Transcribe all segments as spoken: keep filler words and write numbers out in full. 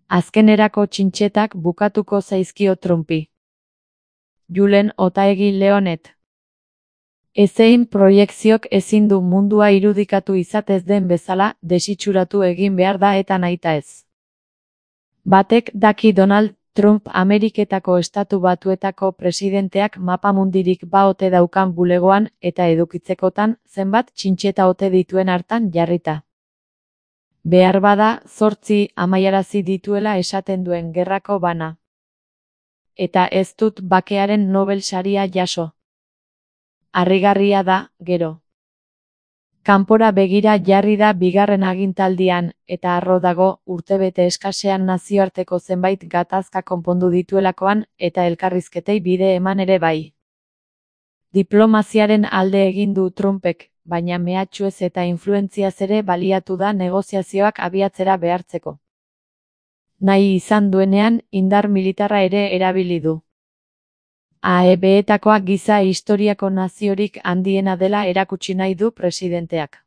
Azkenerako txintxetak bukatuko zaizkio Trumpi. Julen Otaegi Leonet. Ezein proiekziok ezin du mundua irudikatu izatez den bezala desitxuratu egin behar da eta nahita ez. Batek daki Donald Trump Ameriketako Estatu Batuetako presidenteak mapamundirik ba ote daukan bulegoan eta edukitzekotan zenbat txintxeta ote dituen hartan jarrita. Behar bada zortzi amaiarazi dituela esaten duen gerrako bana. Eta ez dut bakearen Nobel saria jaso. Harrigarria da, gero. Kanpora begira jarri da bigarren agintaldian, eta harro dago urtebete eskasean nazioarteko zenbait gatazka konpondu dituelakoan eta elkarrizketei bide eman ere bai. Diplomaziaren alde egin du Trumpek, baina mehatxuez eta influentziaz ere baliatu da negoziazioak abiatzera behartzeko. Nahi izan duenean, indar militarra ere erabili du. A E B-etakoa giza historiako naziorik handiena dela erakutsi nahi du presidenteak.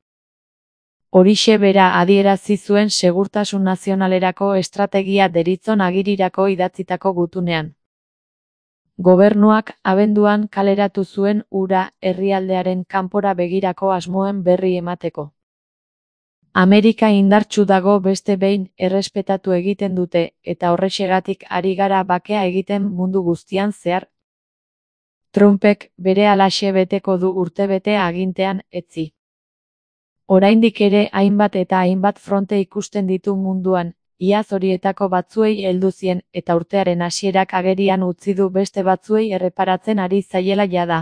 Horixe bera adierazi zuen segurtasun nazionalerako estrategia deritzon agirirako idatzitako gutunean. Gobernuak abenduan kaleratu zuen hura herrialdearen kanpora begirako asmoen berri emateko. Amerika indartsu dago beste behin errespetatu egiten dute eta horrexegatik ari gara bakea egiten mundu guztian zehar. Trumpek bere halaxe beteko du urtebete agintean etzi. Oraindik ere hainbat eta hainbat fronte ikusten ditu munduan, iaz horietako batzuei heldu zien eta urtearen hasierak agerian utzi du beste batzuei erreparatzen ari zaiela jada.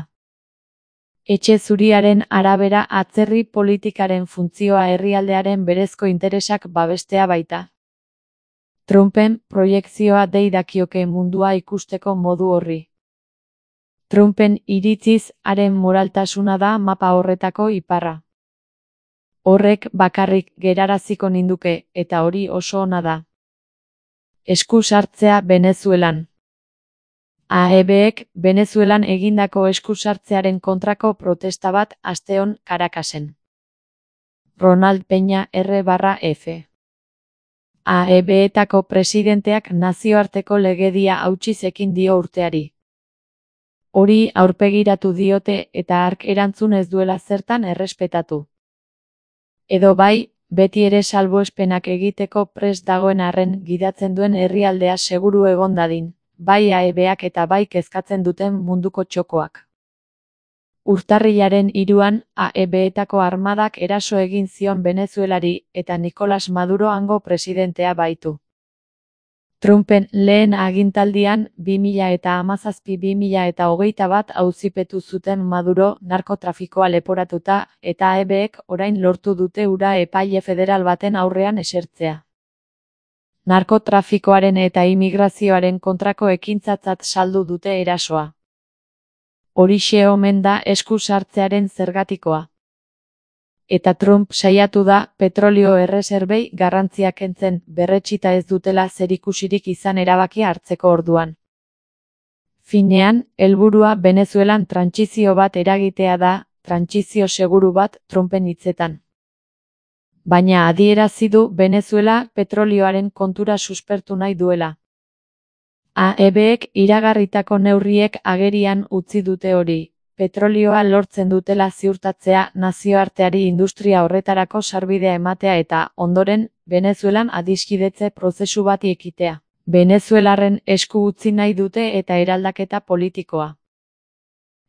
Etxe zuriaren arabera atzerri politikaren funtzioa herrialdearen berezko interesak babestea baita. Trumpen proiekzioa dei dakioke mundua ikusteko modu horri. Trumpen iritziz haren moraltasuna da mapa horretako iparra. Horrek bakarrik geraraziko ninduke eta hori oso ona da. Esku sartzea Venezuelan. A E B-ek Venezuelan egindako esku sartzearen kontrako protesta bat asteon Caracasen. Ronald Peña R barra F. A E B-etako presidenteak nazioarteko legedia hautsiz ekin dio urteari. Hori aurpegiratu diote eta hark erantzun ez duela zertan errespetatu. Edo bai, beti ere salbuespenak egiteko prest dagoen arren gidatzen duen herrialdea seguru egon dadin, bai A E B-ak eta bai kezkatzen duten munduko txokoak. Urtarrilaren hiruan A E B-etako armadak eraso egin zion Venezuelari eta Nicolas Maduro hango presidentea baitu. Trumpen lehen agintaldian bi mila hamazazpi bi mila hogeita bat auzipetu zuten Maduro narkotrafikoa leporatuta eta A E B-ek orain lortu dute hura epaile federal baten aurrean esertzea. Narkotrafikoaren eta immigrazioaren kontrako ekintzatzat saldu dute erasoa. Horixe omen da esku sartzearen zergatikoa. Eta Trump saiatu da petrolio erreserbei garrantzia kentzen berretsita ez dutela zerikusirik izan erabakia hartzeko orduan. Finean, helburua Venezuelan trantsizio bat eragitea da, trantsizio seguru bat Trumpen hitzetan. Baina adierazi du Venezuela petrolioaren kontura suspertu nahi duela. A E B-ek iragarritako neurriek agerian utzi dute hori. Petrolioa lortzen dutela ziurtatzea nazioarteari industria horretarako sarbidea ematea eta, ondoren, Venezuelan adiskidetze prozesu bat ekitea. Venezuelarren esku utzi nahi dute eta eraldaketa politikoa.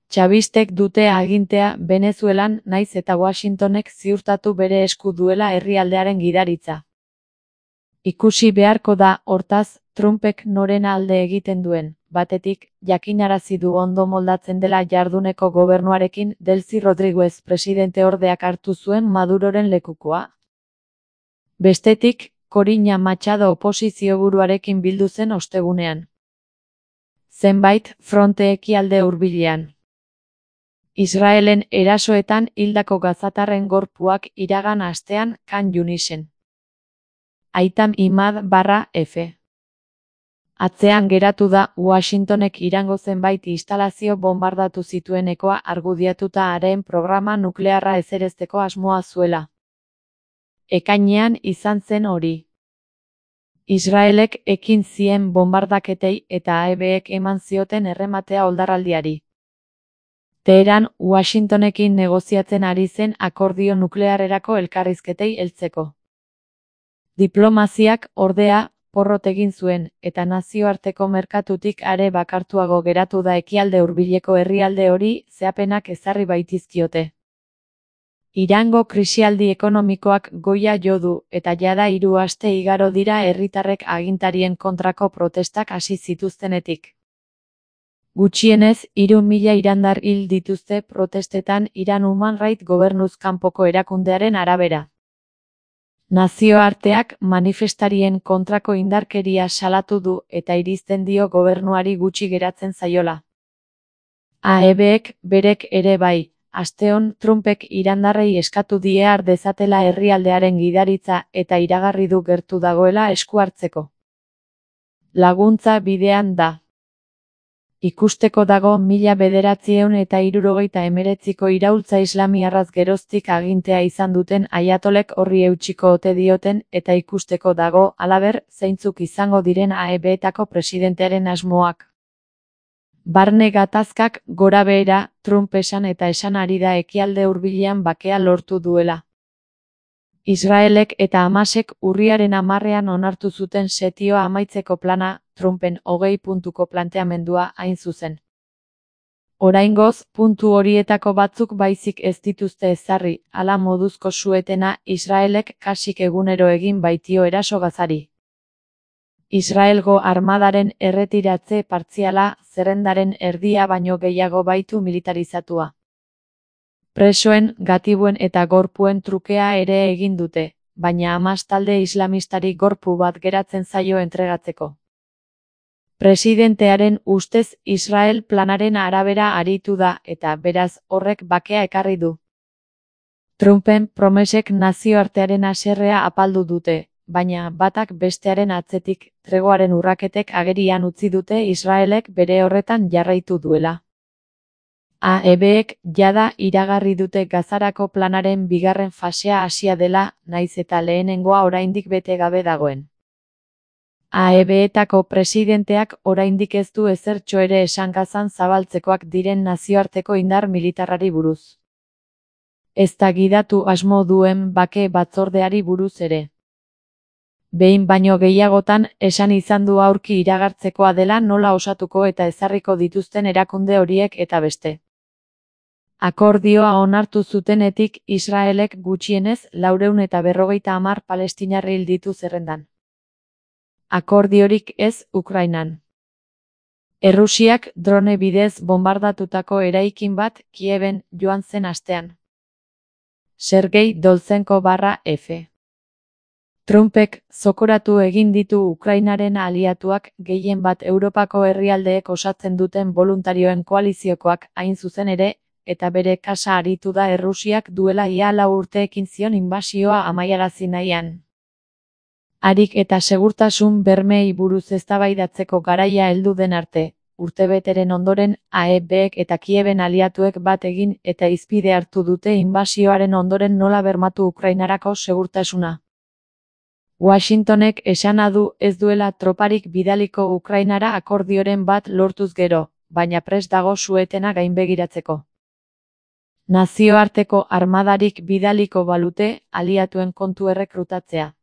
Chavistek dute agintea Venezuelan naiz eta Washingtonek ziurtatu bere esku duela herrialdearen gidaritza. Ikusi beharko da, hortaz, Trumpek noren alde egiten duen. Batetik, jakinarazi du ondo moldatzen dela jarduneko gobernuarekin Delcy Rodriguez presidente ordeak hartu zuen Maduroren lekukoa. Bestetik, Corina Machado oposizio buruarekin bildu zen ostegunean. Zenbait fronte ekialde hurbilean. Israelen erasoetan hildako gazatarren gorpuak iragan astean Khan Yunisen. Aitam Imad barra F. Atzean geratu da Washingtonek Irango zenbait instalazio bombardatu zituenekoa argudiatuta haren programa nuklearra ezerezteko asmoa zuela. Ekainean izan zen hori. Israelek ekin zien bombardaketei eta A E Bek eman zioten errematea oldarraldiari. Teheran, Washingtonekin negoziatzen ari zen akordio nuklearrerako elkarrizketei heltzeko. Diplomaziak, ordea, porrot egin zuen, eta nazioarteko merkatutik are bakartuago geratu da ekialde hurbileko herrialde hori zehapenak ezarri baitizkiote. Irango krisialdi ekonomikoak goia jo du, eta jada hiru aste igaro dira herritarrek agintarien kontrako protestak hasi zituztenetik. Gutxienez, hiru mila irandar hil dituzte protestetan Iran Human Rights gobernuz kanpoko erakundearen arabera. Nazioarteak manifestarien kontrako indarkeria salatu du eta irizten dio gobernuari gutxi geratzen zaiola. A E Bek berek ere bai. Asteon Trumpek irandarrei eskatu die har dezatela herrialdearen gidaritza eta iragarri du gertu dagoela esku hartzeko. Laguntza bidean da. Ikusteko dago mila bederatziehun eta hirurogeita hemeretziko iraultza islamiarraz geroztik agintea izan duten aiatolek horri eutsiko ote dioten eta ikusteko dago, halaber, zeintzuk izango diren A E Betako presidentearen asmoak. Barne gatazkak gora behera, Trump esan eta esan ari da ekialde hurbilean bakea lortu duela. Israelek eta Hamasek urriaren hamarrean onartu zuten setioa amaitzeko plana, Trumpen hogei puntuko planteamendua hain zuzen. Oraingoz, puntu horietako batzuk baizik ez dituzte ezarri, hala moduzko suetena Israelek kasik egunero egin baitio eraso Gazari. Israelgo armadaren erretiratze partziala zerrendaren erdia baino gehiago baitu militarizatua. Presoen, gatibuen eta gorpuen trukea ere egin dute, baina Hamas talde islamistari gorpu bat geratzen zaio entregatzeko. Presidentearen ustez Israel planaren arabera aritu da eta beraz horrek bakea ekarri du. Trumpen promesek nazioartearen haserrea apaldu dute, baina batak bestearen atzetik tregoaren urraketek agerian utzi dute Israelek bere horretan jarraitu duela. A E Bek jada iragarri dute Gazarako planaren bigarren fasea hasia dela, nahiz eta lehenengoa oraindik bete gabe dagoen. A E Betako presidenteak oraindik ez du ezertxo ere esan Gazan zabaltzekoak diren nazioarteko indar militarrari buruz. Ezta gidatu asmo duen bake batzordeari buruz ere. Behin baino gehiagotan esan izan du aurki iragartzekoa dela nola osatuko eta ezarriko dituzten erakunde horiek eta beste. Akordioa onartu zutenetik Israelek gutxienez laurehun eta berrogeita hamar palestinar hil ditu zerrendan. Akordiorik ez Ukrainan. Errusiak drone bidez bombardatutako eraikin bat Kieben joan zen astean. Sergei Doltzenko barra F. Trumpek zokoratu egin ditu Ukrainaren aliatuak gehien bat Europako herrialdeek osatzen duten boluntarioen koaliziokoak hain zuzen ere, eta bere kasa aritu da Errusiak duela ia lau urte ekin zion inbasioa amaiarazi nahian. Harik eta segurtasun bermeei buruz eztabaidatzeko garaia heldu den arte, urtebeteren ondoren A E Bek eta Kieben aliatuek bat egin eta hizpide hartu dute inbasioaren ondoren nola bermatu Ukrainarako segurtasuna. Washingtonek esana du ez duela troparik bidaliko Ukrainara akordioren bat lortuz gero, baina prest dago suetena gainbegiratzeko. Nazioarteko armadarik bidaliko balute aliatuen kontu errekrutatzea.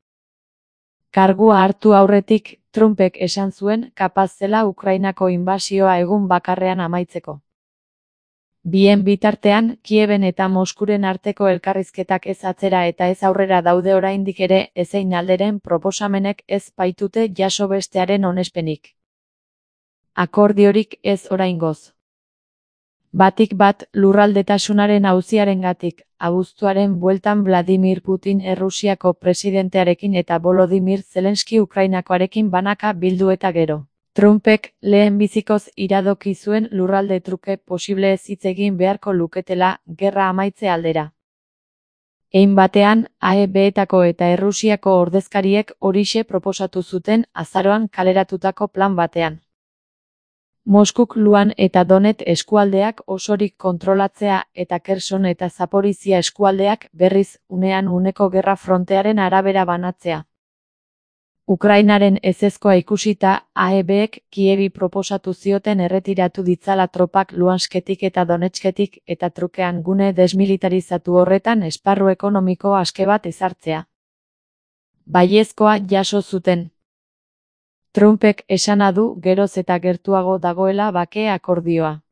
Kargua hartu aurretik, Trumpek esan zuen kapaz zela Ukrainako inbasioa egun bakarrean amaitzeko. Bien bitartean, Kieben eta Moskuren arteko elkarrizketak ez atzera eta ez aurrera daude oraindik ere ezein alderen proposamenek ez baitute jaso bestearen onespenik. Akordiorik ez oraingoz. Batik bat lurraldetasunaren auziarengatik, abuztuaren bueltan Vladimir Putin Errusiako presidentearekin eta Volodymyr Zelenski Ukrainakoarekin banaka bildu eta gero. Trumpek lehen bizikoz iradoki zuen lurralde truke posible ez hitz egin beharko luketela gerra amaitze aldera. Hein batean, A E Betako eta Errusiako ordezkariek horixe proposatu zuten azaroan kaleratutako plan batean. Moskuk Luhan eta Donet eskualdeak osorik kontrolatzea eta Kherson eta Zaporizhia eskualdeak berriz unean uneko gerra frontearen arabera banatzea. Ukrainaren ezezkoa ikusita, A E Bek Kievi proposatu zioten erretiratu ditzala tropak Luhansketik eta Donetsketik eta trukean gune desmilitarizatu horretan esparru ekonomiko aske bat ezartzea. Baiezkoa jaso zuten. Trumpek esana du geroz eta gertuago dagoela bake akordioa.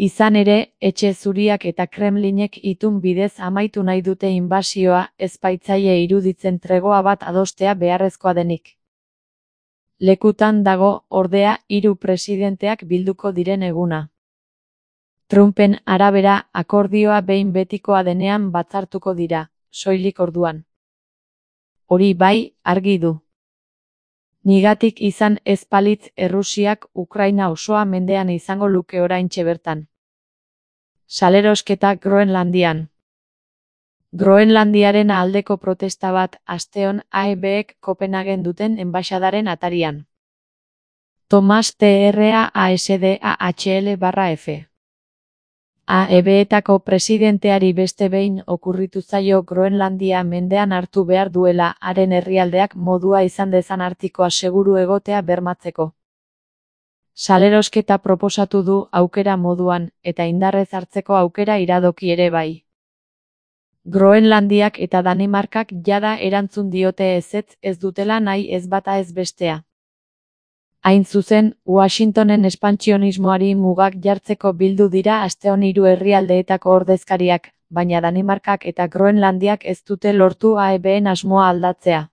Izan ere, Etxe Zuriak eta Kremlinek itun bidez amaitu nahi dute inbasioa, ez baitzaie iruditzen tregoa bat adostea beharrezkoa denik. Lekutan dago, ordea, hiru presidenteak bilduko diren eguna. Trumpen arabera, akordioa behin betikoa denean batzartuko dira, soilik orduan. Hori bai, argi du. Nigatik izan ez balitz Errusiak Ukraina osoa mendean izango luke oraintxe bertan. Salerosketa Groenlandian. Groenlandiaren aldeko protesta bat asteon A E Bek Kopenhagen duten enbaxadaren atarian. Thomas Trasdal barra F. A E Betako presidenteari beste behin okurritu zaio Groenlandia mendean hartu behar duela haren herrialdeak modua izan dezan artikoa seguru egotea bermatzeko. Salerosketa proposatu du aukera moduan, eta indarrez hartzeko aukera iradoki ere bai. Groenlandiak eta Danimarkak jada erantzun diote ezetz ez dutela nahi ez bata ez bestea. Hain zuzen, Washingtonen espantsionismoari mugak jartzeko bildu dira asteon hiru herrialdeetako ordezkariak, baina Danimarkak eta Groenlandiak ez dute lortu A E Ben asmoa aldatzea.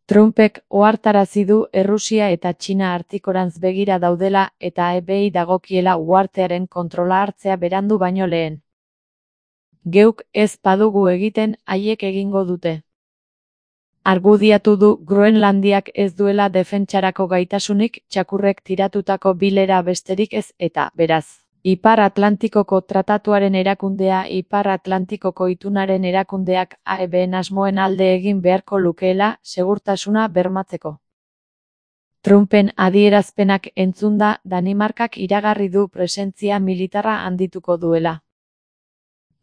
Trumpek ohartarazi du Errusia eta Txina artikorantz begira daudela eta A E Bei dagokiela uhartearen kontrola hartzea berandu baino lehen. Geuk ez badugu egiten, haiek egingo dute. Argudiatu du Groenlandiak ez duela defentsarako gaitasunik txakurrek tiratutako bilera besterik ez eta, beraz, Ipar Atlantikoko Tratatuaren erakundea Ipar Atlantikoko itunaren erakundeak A E Ben asmoen alde egin beharko lukeela segurtasuna bermatzeko. Trumpen adierazpenak entzunda Danimarkak iragarri du presentzia militarra handituko duela.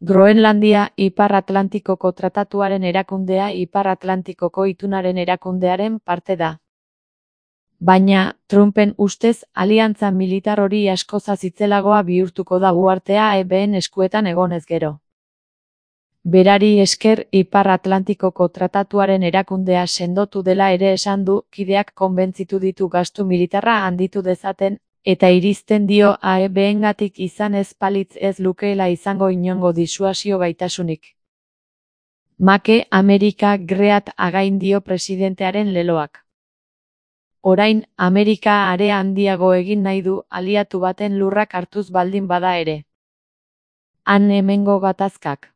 Groenlandia Ipar Atlantikoko Tratatuaren erakundea Ipar Atlantikoko itunaren erakundearen parte da. Baina, Trumpen ustez, aliantza militar hori askoz itzelagoa bihurtuko da uhartea A E Ben eskuetan egonez gero. Berari esker Ipar Atlantikoko Tratatuaren erakundea sendotu dela ere esan du, kideak konbentzitu ditu gastu militarra handitu dezaten, eta irizten dio A E Bengatik izan ez balitz ez lukeela izango inongo disuasio gaitasunik. Make Amerika great again dio presidentearen leloak. Orain, Amerika are handiago egin nahi du aliatu baten lurrak hartuz baldin bada ere. Han hemengo gatazkak.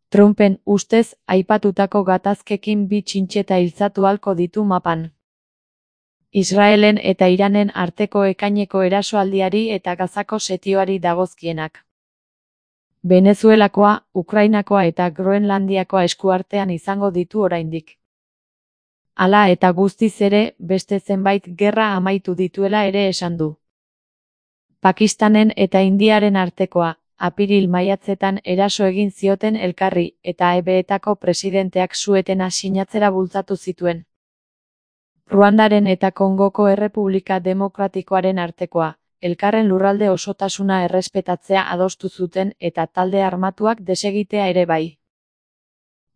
Trumpen ustez, aipatutako gatazkekin bi txintxeta hiltzatu halko ditu mapan. Israelen eta Iranen arteko ekaineko erasoaldiari eta Gazako setioari dagozkienak. Venezuelakoa, Ukrainakoa eta Groenlandiakoa eskuartean izango ditu oraindik. Hala eta guztiz ere, beste zenbait gerra amaitu dituela ere esan du. Pakistanen eta Indiaren artekoa, apiril maiatzetan eraso egin zioten elkarri, eta A E Betako presidenteak suetena sinatzera bultzatu zituen. Ruandaren eta Kongoko Errepublika Demokratikoaren artekoa, elkarren lurralde osotasuna errespetatzea adostu zuten eta talde armatuak desegitea ere bai.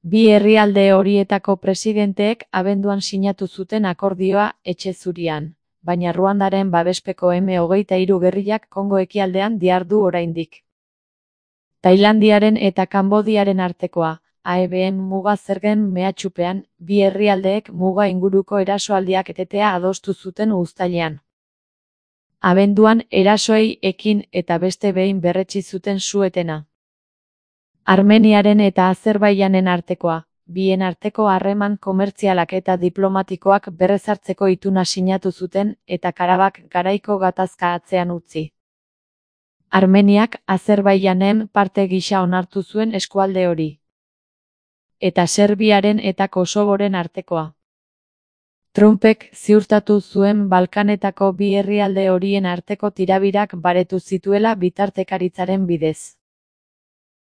Bi herrialde horietako presidenteek abenduan sinatu zuten akordioa Etxe Zurian, baina Ruandaren babespeko eme hogeita hiru gerrillak Kongo ekialdean dihardu oraindik. Tailandiaren eta Kanbodiaren artekoa, A E Ben muga zergen mehatxupean, bi herrialdeek muga inguruko erasoaldiak etetea adostu zuten uztailean. Abenduan erasoei ekin eta beste behin berretsi zuten suetena. Armeniaren eta Azerbaijanen artekoa, bien arteko harreman komertzialak eta diplomatikoak berrezartzeko ituna sinatu zuten eta Karabak garaiko gatazka atzean utzi. Armeniak Azerbaijanen parte gisa onartu zuen eskualde hori. Eta Serbiaren eta Kosovoren artekoa. Trumpek ziurtatu zuen Balkanetako bi herrialde horien arteko tirabirak baretu zituela bitartekaritzaren bidez.